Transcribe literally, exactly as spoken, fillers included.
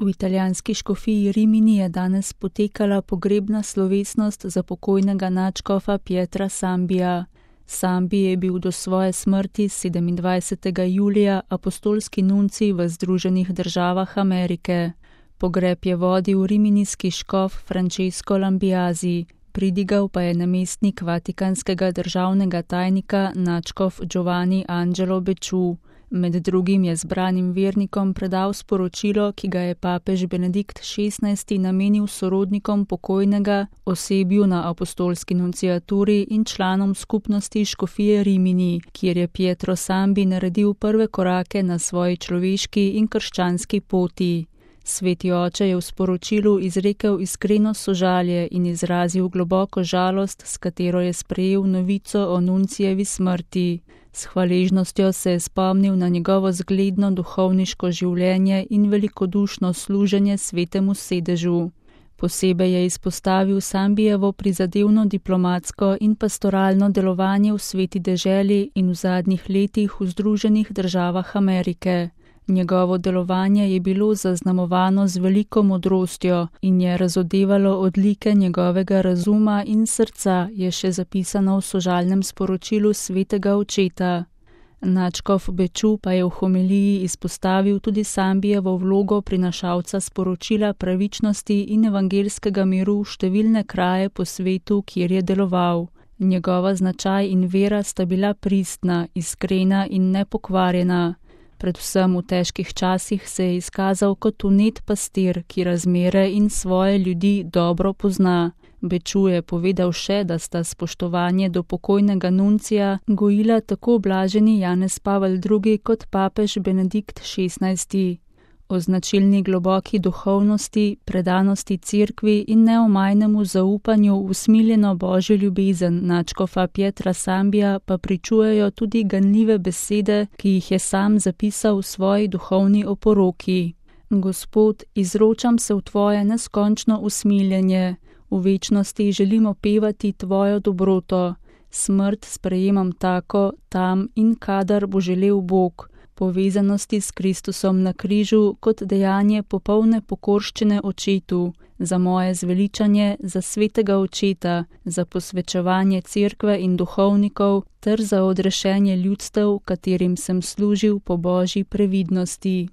V italijanski škofiji Rimini je danes potekala pogrebna slovesnost za pokojnega nadškofa Pietra Sambija. Sambi je bil do svoje smrti sedemindvajsetega julija apostolski nuncij v Združenih državah Amerike. Pogreb je vodil riminijski škof Francesco Lambiasi, pridigal pa je namestnik vatikanskega državnega tajnika nadškof Giovanni Angelo Becciu. Med drugim je zbranim vernikom predal sporočilo, ki ga je papež Benedikt šestnajsti namenil sorodnikom pokojnega, osebju na apostolski nunciaturi in članom skupnosti škofije Rimini, kjer je Pietro Sambi naredil prve korake na svoji človeški in krščanski poti. Sveti oče je v sporočilu izrekel iskreno sožalje in izrazil globoko žalost, s katero je sprejel novico o nuncijevi smrti. S hvaležnostjo se je spomnil na njegovo zgledno duhovniško življenje in velikodušno služenje svetemu sedežu. Posebej je izpostavil Sambijevo prizadevno diplomatsko in pastoralno delovanje v sveti deželi in v zadnjih letih v Združenih državah Amerike. Njegovo delovanje je bilo zaznamovano z veliko modrostjo in je razodevalo odlike njegovega razuma in srca, je še zapisano v sožalnem sporočilu svetega očeta. Nadškof Becciu pa je v homiliji izpostavil tudi Sambijevo vlogo prinašalca sporočila pravičnosti in evangelskega miru v številne kraje po svetu, kjer je deloval. Njegova značaj in vera sta bila pristna, iskrena in nepokvarjena. Predvsem v težkih časih se je izkazal kot vnet pastir, ki razmere in svoje ljudi dobro pozna. Becciu je povedal še, da sta spoštovanje do pokojnega nuncija gojila tako blaženi Janez Pavel drugi kot papež Benedikt šestnajsti. O značilni globoki duhovnosti, predanosti cerkvi in neomajnemu zaupanju v usmiljeno božjo ljubezen nadškofa Pietra Sambija pa pričujejo tudi ganljive besede, ki jih je sam zapisal v svoji duhovni oporoki. Gospod, izročam se v tvoje neskončno usmiljenje, v večnosti želim opevati tvojo dobroto, smrt sprejemam tako, tam in kadar bo želel Bog, povezanosti s Kristusom na križu kot dejanje popolne pokorščine očetu, za moje zveličanje, za svetega očeta, za posvečevanje cerkve in duhovnikov ter za odrešenje ljudstev, katerim sem služil po božji previdnosti.